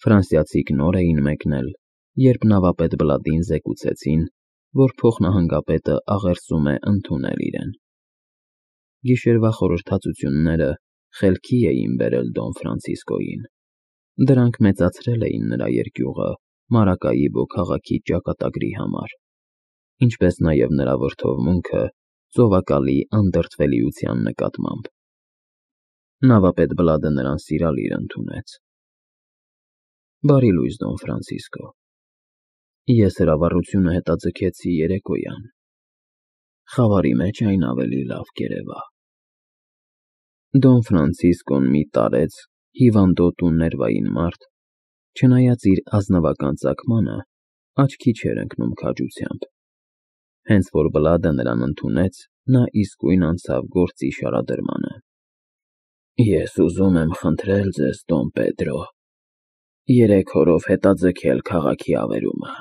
Ֆրանսիացիք նոր էին մեկնել, երբ նավապետ Բլադին զեկուցեցին, որ փոխնահանգապետը աղերսում է ընդունել իրեն։ Գիշերվա խորհրդածությունները խելքի էին բերել Դոն Ֆրանցիսկոյին։ Դրանք մեծացրել էին նրա երկյուղը Մարակայիբո քաղաքի ճակատագրի համար, ինչպես նաև նրա վրդովմունքը ծովակալի անդրդվելիության նկատմամբ։ Նավապետ Բլադը նրան սիրալիր ընդունեց։ Բարի լույս, Դոն Ֆրանցիսկո։ Ես հրավառությունը հետաձգեցի երեկոյան։ Խավարի մեջ այն ավելի լավ կերևա։ Դոն Ֆրանցիսկոն մի տարեց, հիվանդոտ ու ներվային մարդ, չնայած իր ազնվական ծագմանը, աչքի չէր ընկնում քաջությամբ։ Հենց որ Բլադը նրան ընդունեց, նա իսկույն անցավ գործի շարադրմանը։ Ես ուզում եմ խնդրել ձեզ, Դոն Պեդրո, 3 օրով հետաձգել քաղաքի ավերումը։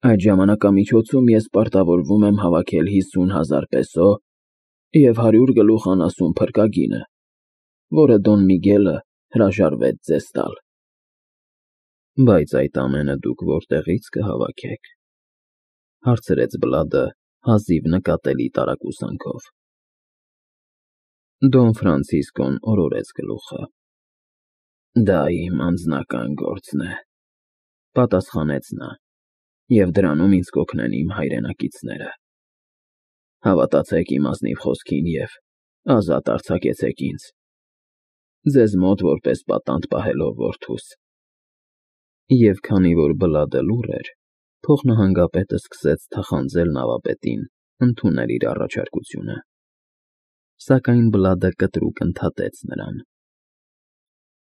Այդ ժամանակամիջոցում ես պարտավորվում եմ հավաքել 50,000 պեսո և 100 գլուխ անասուն փրկագինը, որը Դոն Միգելը հրաժարվեց ձեզ տալ։ Բայց այդ ամենը դուք որտեղի՞ց կհավաքեք, հարցրեց Բլադը հազիվ նկատելի տարակուսանքով։ Դոն Ֆրանցիսկոն օրորեց գլուխը։ Դա իմ անձնական գործն է, պատասխանեց նա, և դրանում ինձ կօգնեն իմ հայրենակիցները։ Հավատացեք իմ ազնիվ խոսքին և ազատ արձակեցեք ինձ, ձեզ մոտ որպես պատանդ պահելով որդուս։ Եվ քանի որ Բլադը լուռ էր, փոխնահանգապետը սկսեց թախանձել նավապետին ընդունել իր առաջարկությունը։ Սակայն Բլադը կտրուկ ընդհատեց նրան։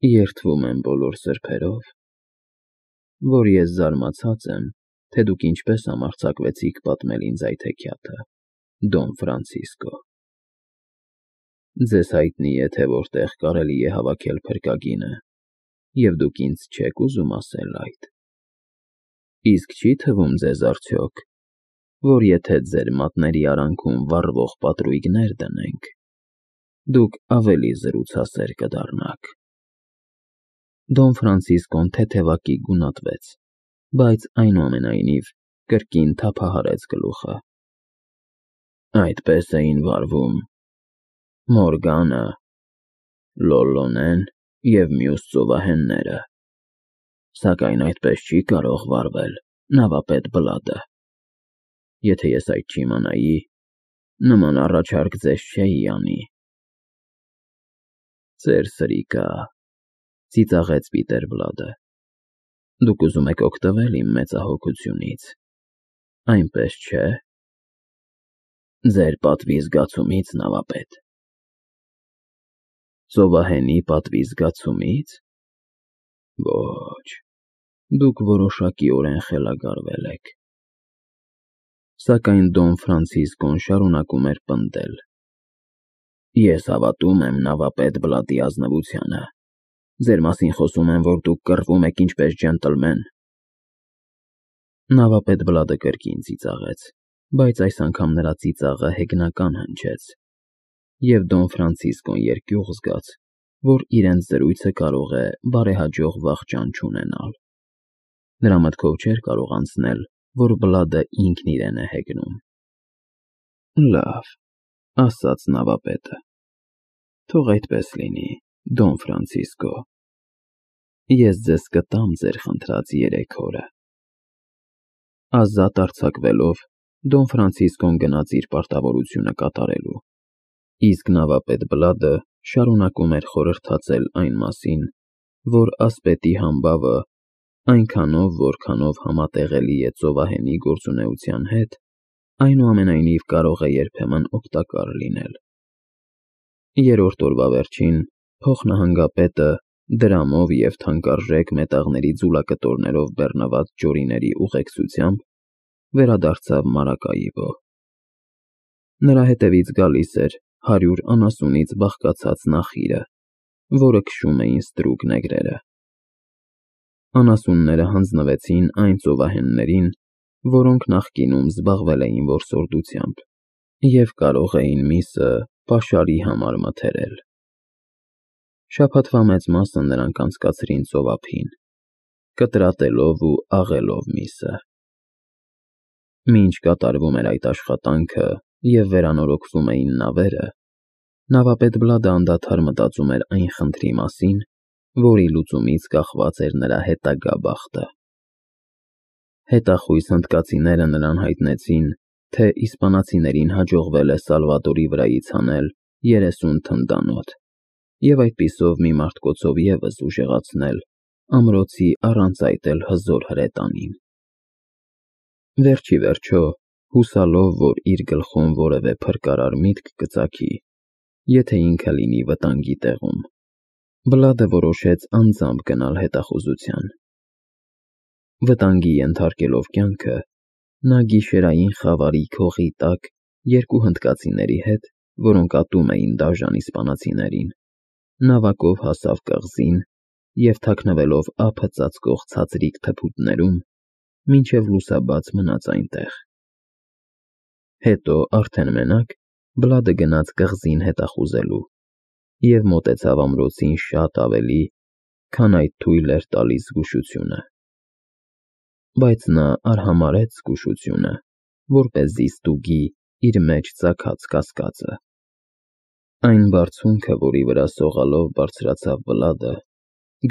Երդվում եմ բոլոր սրբերով, որ ես զարմացած եմ, թե դուք ինչպես համարձակվեցիք պատմել ինձ այդ հեքիաթը, Դոն Ֆրանցիսկո։ Ձեզ հայտնի է, թե որտեղ կարելի է հավաքել փրկագինը, և դուք ինձ չեք ուզում ասել այդ։ Իսկ չի թվում ձեզ արդյոք, որ եթե ձեր մատների արանքում վառվող պատրույգներ դնենք, դուք ավելի զրուցասեր կդառնաք։ Դոն Ֆրանցիսկոն թեթևակի գունատվեց, բայց այնուամենայնիվ կրկին թափահարեց գլուխը։ Այդպես էին վարվում Մորգանը, Լոլլոնեն և մյուս ծովահենները, սակայն այդպես չի կարող վարվել նավապետ Բլադը։ Եթե ես այդ չիմանայի, նման առաջարկ ձեզ չէի անի։ Ձեր սրիկա, ծիծաղեց Պիտեր Բլադը, դուք ուզում եք օգտվել իմ մեծահոգությունից, այնպես չէ։ Ձեր պատվի զգացումից, նավապետ։ Ծովահենի պատվի զգացումից։ Ոչ, դուք որոշակիորեն խելագարվել եք։ Սակայն Դոն Ֆրանցիսկոն շարունակում էր պնդել. Ես հավատում եմ նավապետ Բլադի ազնվությանը։ Ձեր մասին խոսում են, որ դուք կռվում եք ինչպես ջենտլմեն։ Նավապետ Բլադը կրկին ծիծաղեց, բայց այս անգամ նրա ծիծաղը հեգնական հնչեց, և Դոն Ֆրանցիսկոն երկյուղ զգաց, որ իրենց զրույցը կարող է բարեհաջող վախճան չունենալ։ Նրա մտքով չէր կարող անցնել, որ Բլադը ինքն իրեն է հեգնում։ Լավ, ասաց նավապետը, թող այդպես լինի, Դոն Ֆրանցիսկո։ Ես ձեզ կտամ ձեր խնդրած 3 օրը։ Ազատ արձակվելով, Դոն Ֆրանցիսկոն գնաց իր պարտավորությունը կատարելու, իսկ նավապետ Բլադը շարունակում էր խորհրդածել այն մասին, որ ասպետի համբավը այնքանով, որքանով համատեղելի է ծովահենի գործունեության հետ, այնուամենայնիվ կարող է երբեմն օգտակար լինել։ 3-րդ օրվա վերջին փոխնահանգապետը դրամով և թանկարժեք մետաղների ձուլակտորներով բեռնված ջորիների ուղեկցությամբ վերադարձավ Մարակայիբո։ Նրա հետևից գալիս էր 100 անասունից բաղկացած նախիրը, որը քշում էին ստրուկ նեգրերը։ Անասունները հանձնվեցին այն ծովահեններին, որոնք նախկինում զբաղվել էին որսորդությամբ և կարող էին միսը պաշարի համար մթերել։ Շաբաթվա մեծ մասը նրանք անցկացրին ծովափին, կտրատելով ու աղելով միսը։ Մինչ կատարվում էր այդ աշխատանքը և վերանորոգվում էին նավերը, նավապետ Բլադը անդադար մտածում էր այն խնդրի մասին, որի լուծումից կախված էր նրա հետագա բախտը։ Հետախույզ հնդկացիները նրան հայտնեցին, թե իսպանացիներին հաջողվել է Սալվադորի վրայից հանել 30 թնդանոթ և այդպիսով մի մարտկոցով ևս ուժեղացնել ամրոցի առանց այդ էլ հզոր հրետանին։ Վերջ ի վերջո, հուսալով, որ իր գլխում որևէ փրկարար միտք կծագի, եթե ինքը լինի վտանգի տեղում, Բլադը որոշեց անձամբ գնալ հետախուզության։ Վտանգի ենթարկելով կյանքը, նա գիշերային խավարի քողի տակ երկու հնդկացիների հետ, որոնք ատում էին դաժան իսպանացիներին, նավակով հասավ կղզին և թաքնվելով ափը ծածկող ցածրիկ թփուտներում, մինչև լուսաբաց մնաց այնտեղ։ Հետո, արդեն մենակ, Բլադը գնաց կղզին հետախուզելու և մոտեցավ ամրոցին շատ ավելի, քան այդ թույլ էր տալիս զգուշությունը։ Բայց նա արհամարհեց զգուշությունը, որպեսզի ստուգի իր մեջ ծագած կասկածը։ Այն բարձունքը, որի վրա սողալով բարձրացավ Բլադը,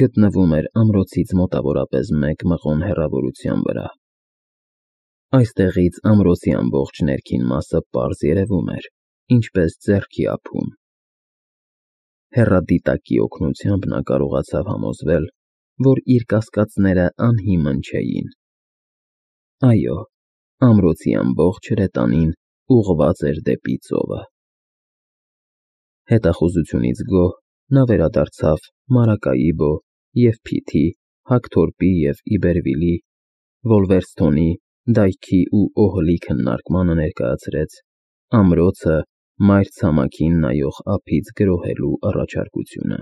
գտնվում էր ամրոցից մոտավորապես 1 մղոն հեռավորության վրա։ Այստեղից ամրոցի ամբողջ ներքին մասը պարզ երևում էր, ինչպես ձեռքի ափում։ Հեռադիտակի օգնությամբ նա կարողացավ համոզվել, որ իր կասկածները անհիմն չէին։ Այո, ամրոցի ամբողջ հրետանին ուղղված էր դեպի ծովը։ Հետախուզությունից գոհ նա վերադարձավ Մարակաիբո և Փիթի, Հակթորպի և Իբերվիլի, Վոլվերսթոնի, Դայքի ու Օհլի քննարկմանը ներկայացրեց ամրոցը մայր ցամաքին նայող ափից գրոհելու առաջարկությունը։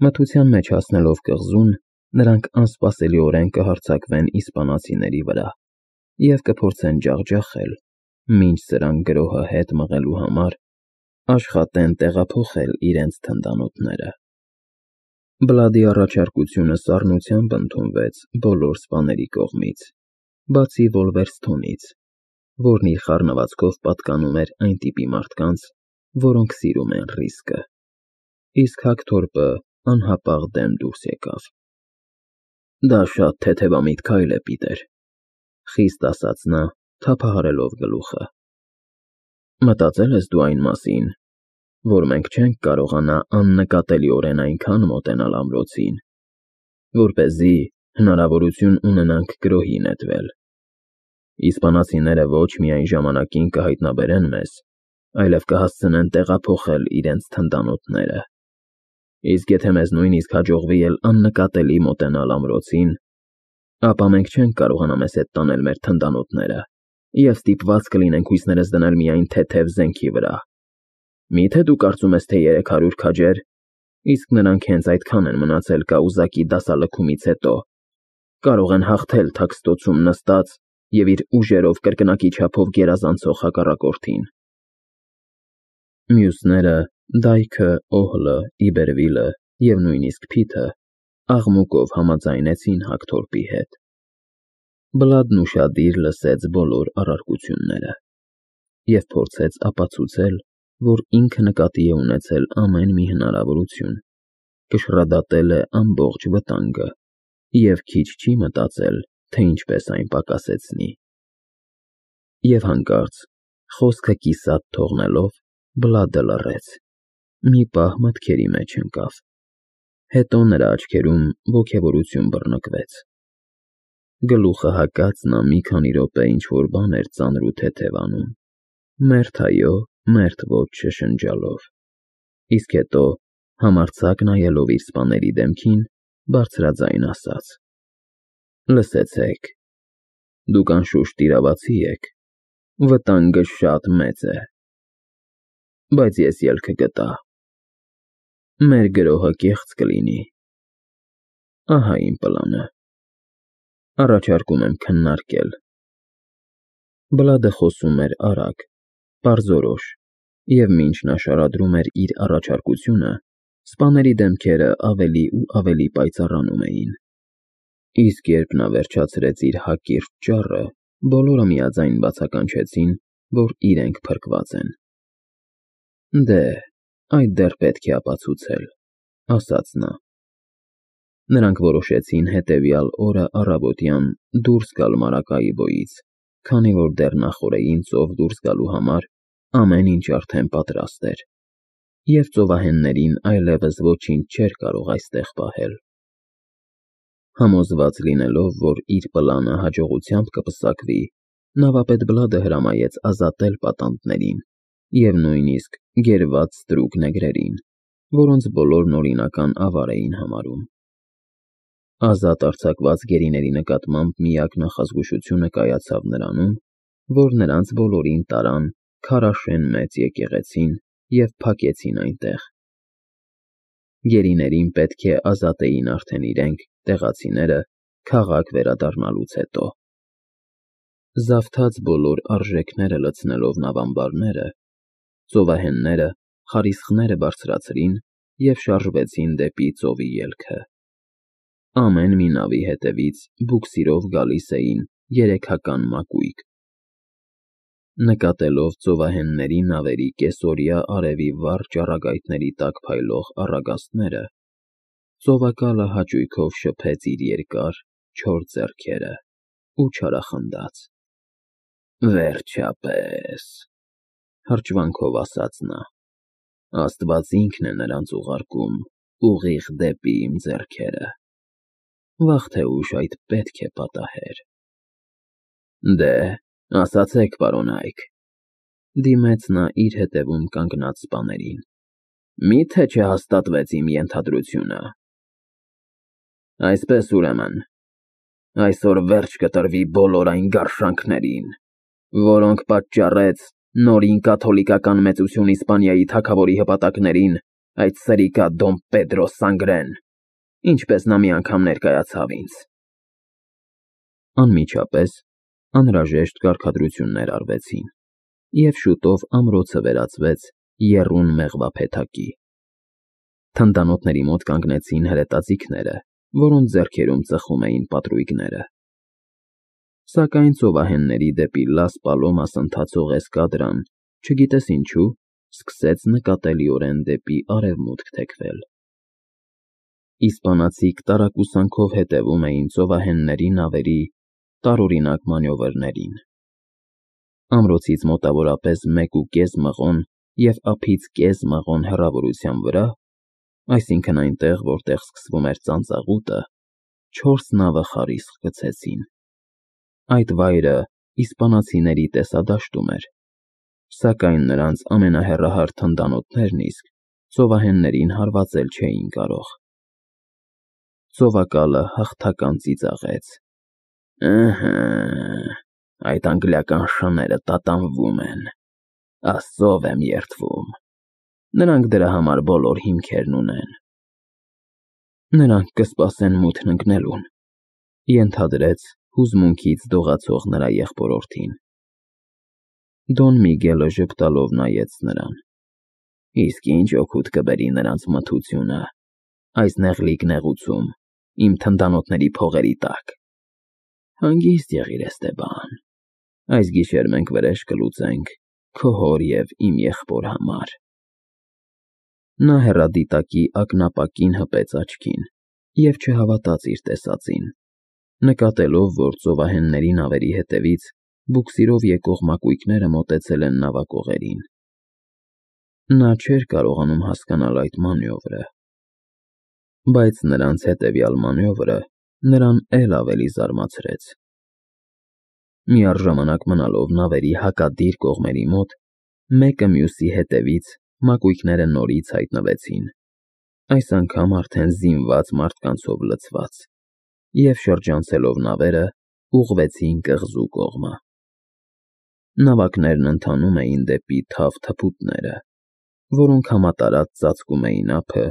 Մթության մեջ հասնելով կղզուն, նրանք անսպասելիորեն կհարձակվեն իսպանացիների վրա և կփորձեն ջախջախել, մինչ սրանք գրոհը հետ մղելու համար աշխատեն տեղափոխել իրենց թնդանոթները։ Բլադի առաջարկությունը սառնությամբ ընդունվեց բոլոր սպաների կողմից, բացի Վոլվերսթոնից, որն իր խառնվածքով պատկանում էր այն տիպի մարդկանց, որոնք սիրում են ռիսկը, իսկ Հակթորպը անհապաղ դեմ դուրս եկավ։ Դա շատ թեթևամիտ քայլ է, Պիտեր, խիստ ասաց նա, թափահարելով գլուխը։ Մտածել ես դու այն մասին, որ մենք չենք կարողանա աննկատելիորեն այնքան մոտենալ ամրոցին, որպեսզի հնարավորություն ունենանք գրոհի նետվել։ Իսպանացիները ոչ միայն ժամանակին կհայտնաբերեն մեզ, այլև կհասցնեն տեղափոխել իրենց թնդանոթները։ Իսկ եթե մեզ նույնիսկ հաջողվի էլ աննկատելի մոտենալ ամրոցին, ապա մենք չենք կարողանա մեզ հետ տանել մեր թնդանոթները և ստիպված կլինենք հույսներս դնել միայն թեթև զենքի վրա։ Միթե դու կարծում ես, թե 300 քաջեր, իսկ նրանք հենց այդքան են մնացել կաուզակի դասալքումից հետո, կարող են հաղթել թաքստոցում նստած և իր ուժերով կրկնակի չափով գերազանցող հակառակորդին։ Մյուսները՝ Դայքը, Օհլը, Իբերվիլը և նույնիսկ Փիթը, աղմուկով համաձայնեցին Հակթորպի հետ։ Բլադն ուշադիր լսեց բոլոր առարկությունները և փորձեց ապացուցել, որ ինքը նկատի է ունեցել ամեն մի հնարավորություն, կշռադատել է ամբողջ վտանգը և քիչ չի մտածել, թե ինչպես այն պակասեցնի։ Եվ հանկարծ, խոսքը կիսատ թողնելով, Բլադը լռեց, մի պահ մտքերի մեջ ընկավ։ Հետո նրա աչքերում ոգևորություն բռնկվեց։ Գլուխը հակած նա մի քանի րոպե ինչ-որ բան էր ծանր ու թեթև անում, մերթ այո, մերթ ոչ շշնջալով, իսկ հետո, համարձակ նայելով իր սպաների դեմքին, բարձրաձայն ասաց. Լսեցեք, դուք անշուշտ իրավացի եք, վտանգը շատ մեծ է, բայց ես ելքը գտա։ Մեր գրոհը կեղծ կլինի։ Ահա իմ պլանը։ Առաջարկում եմ քննարկել։ Բլադը խոսում էր արագ, պարզորոշ, և մինչ նա շարադրում էր իր առաջարկությունը, Սպաների դեմքերը ավելի ու ավելի պայծառանում էին։ Իսկ երբ նա վերջացրեց իր հակիրճ ճառը, բոլորը միաձայն բացականչեցին, որ իրենք փրկված են։ Դե, այդ դեռ պետք է ապացուցել, ասաց նա։ Նրանք որոշեցին հետևյալ օրը առավոտյան դուրս գալ Մարակայիբոյից, քանի որ դեռ նախօրեին ծով դուրս գալու համար ամեն ինչ արդեն պատրաստ էր, և ծովահեններին այլևս ոչինչ չէր կարող այստեղ պահել։ Համոզված լինելով, որ իր պլանը հաջողությամբ կպսակվի, նավապետ Բլադը հրամայեց ազատել պատանդներին և նույնիսկ գերված ստրուկ նեգրերին, որոնց բոլորն օրինական ավար էին համարում։ Ազատ արձակված գերիների նկատմամբ միակ նախազգուշությունը կայացավ նրանում, որ նրանց բոլորին տարան քարաշեն մեծ եկեղեցին և փակեցին այնտեղ։ Գերիներին պետք է ազատեին արդեն իրենք, տեղացիները, քաղաք վերադառնալուց հետո։ Զավթած բոլոր արժեքները լցնելով նավամբարները, ծովահենները խարիսխները բարձրացրին և շարժվեցին դեպի ծովի ելքը։ Ամեն մի նավի հետևից բուքսիրով գալիս էին երեքական մակույկ։ Նկատելով ծովահենների նավերի կեսօրյա արևի վառ ճառագայթների տակ փայլող առագաստները, ծովակալը հաճույքով շփեց իր երկար, չոր ձեռքերը ու չարախնդաց։ Վերջապես, հրճվանքով ասաց նա, Աստված ինքն է նրանց ուղարկում ուղիղ դեպի իմ ձեռքերը։ Վաղ թե ուշ այդ պետք է պատահեր։ Դե, ասացեք, պարոնայք, դիմեց նա իր հետևում կանգնած սպաներին, մի՞թե չհաստատվեց իմ ենթադրությունը։ Այսպես ուրեմն, այսօր վերջ կտրվի բոլոր այն գարշանքներին, որոնք պատճառեց նորին կաթոլիկական մեծություն Իսպանիայի թագավորի հպատակներին այդ սրիկա Դոն Պեդրո Սանգրեն, ինչպես նա մի անգամ ներկայացավ ինձ։ Անմիջապես անհրաժեշտ կարգադրություններ արվեցին, և շուտով ամրոցը վերածվեց եռուն մեղվափեթակի։ Թնդանոթների մոտ կանգնեցին հրետաձիգները, որոնց ձեռքերում ծխում էին պատրույգները։ Սակայն ծովահենների դեպի Լաս Պալոմաս ընթացող էսկադրան, չգիտես ինչու, սկսեց նկատելիորեն դեպի արևմուտք թեքվել։ Իսպանացիք տարակուսանքով հետևում էին ծովահենների նավերի տարօրինակ մանևրներին։ Ամրոցից մոտավորապես 1.5 մղոն և ափից կես մղոն հեռավորության վրա, այսինքն այնտեղ, որտեղ սկսվում էր ծանծաղուտը, 4 նավը խարիսխ գցեցին։ Այդ վայրը իսպանացիների տեսադաշտում էր, սակայն նրանց ամենահեռահար թնդանոթներն իսկ ծովահեններին հարվածել չէին կարող։ Ծովակալը հաղթական ծիծաղեց. Ըհը, այդ անգլիական շները տատանվում են, Աստծով եմ երդվում, նրանք դրա համար բոլոր հիմքերն ունեն։ Նրանք կսպասեն մութն ընկնելուն, ենթադրեց հուզմունքից դողացող նրա եղբորորդին։ Դոն Միգելը ժպտալով նայեց նրան։ Իսկ ինչ օգուտ կբերի նրանց մթությունը այս նեղլիկ նեղուցում, իմ թնդանոթների փողերի տակ։ Հանգիստ եղիր, Էստեբան, այս գիշեր մենք վրեժ կլուծենք քո հոր և իմ եղբոր համար։ Նա հեռադիտակի ակնապակին հպեց աչքին և չհավատաց իր տեսածին, նկատելով, որ ծովահենների նավերի հետևից բուքսիրով եկող մակույկները մոտեցել են նավակողերին։ Նա չէր կարողանում հասկանալ այդ մանևրը, բայց նրանց հետևյալ մանևրը նրան էլ ավելի զարմացրեց։ Միառժամանակ մնալով նավերի հակադիր կողմերի մոտ, մեկը մյուսի հետևից մակույկները նորից հայտնվեցին, այս անգամ արդեն զինված մարդկանցով լցված, և շրջանցելով նավերը, ուղղվեցին կղզու կողմը։ Նավակներն ընթանում էին դեպի թավ թփուտները, որոնք համատարած ծածկում էին ափը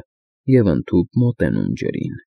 և ընդհուպ մոտենում ջրին։